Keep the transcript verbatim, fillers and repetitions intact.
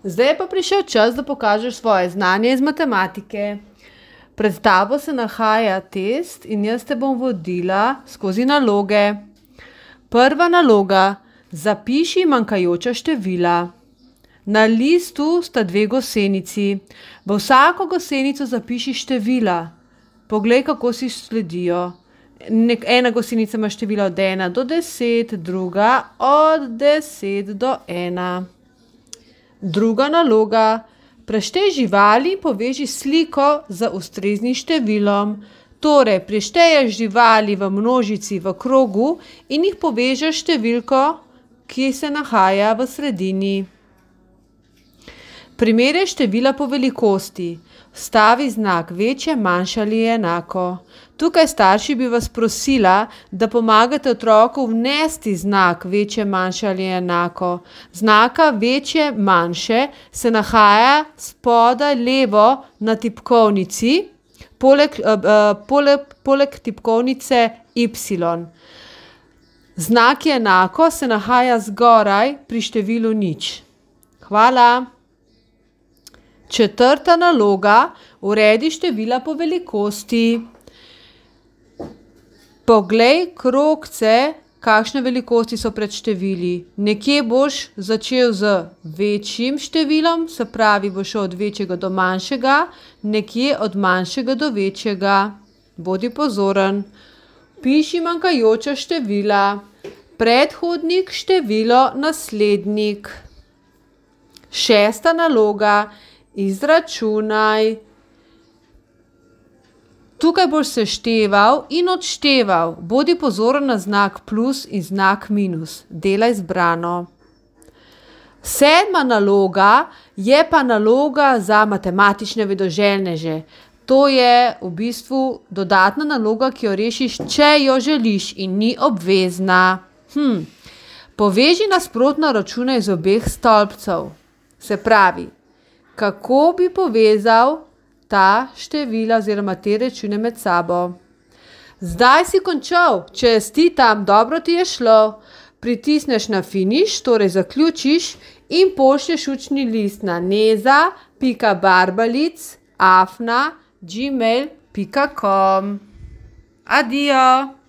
Zdaj je pa prišel čas, da pokažeš svoje znanje iz matematike. Pred tabo se nahaja test in jaz te bom vodila skozi naloge. Prva naloga. Zapiši manjkajoča števila. Na listu sta dve gosenici. V vsako gosenico zapiši števila. Poglej, kako si sledijo. Nek, ena gosenica ima števila od ena do deset, druga od deset do ena. Druga naloga. Preštej živali in poveži sliko z ustreznim številom. Torej, prešteješ živali v množici v krogu in jih povežeš številko, ki se nahaja v sredini. Primerjaj števila po velikosti. Vstavi znak večje, manjše ali enako. Tukaj starši bi vas prosila, da pomagate otroku vnesti znak večje, manjše ali enako. Znaka večje, manjše se nahaja spodaj levo na tipkovnici, poleg, uh, poleg, poleg tipkovnice Y. Znak enako se nahaja zgoraj pri številu nič. Hvala. Četrta naloga. Uredi števila po velikosti. Poglej krogce, kakšne velikosti so pred števili. Nekje boš začel z večjim številom, se pravi, boš šel od večjega do manjšega, nekje od manjšega do večjega. Bodi pozoren. Piši manjkajoča števila. Predhodnik, število, naslednik. Šesta naloga. Izračunaj. Tukaj boš sešteval in odšteval. Bodi pozoren na znak plus in znak minus. Delaj zbrano. Sedma naloga je pa naloga za matematične vedoželjneže. To je v bistvu dodatna naloga, ki jo rešiš, če jo želiš in ni obvezna. Hm. Poveži nasprotno račune iz obeh stolpcev. Se pravi, kako bi povezal ta števila oziroma te račune med sabo. Zdaj si končal, čestitam, dobro ti je šlo. Pritisneš na finiš, torej zaključiš in pošlješ učni list na neza pika barbalic afna gmail pika com. Adijo.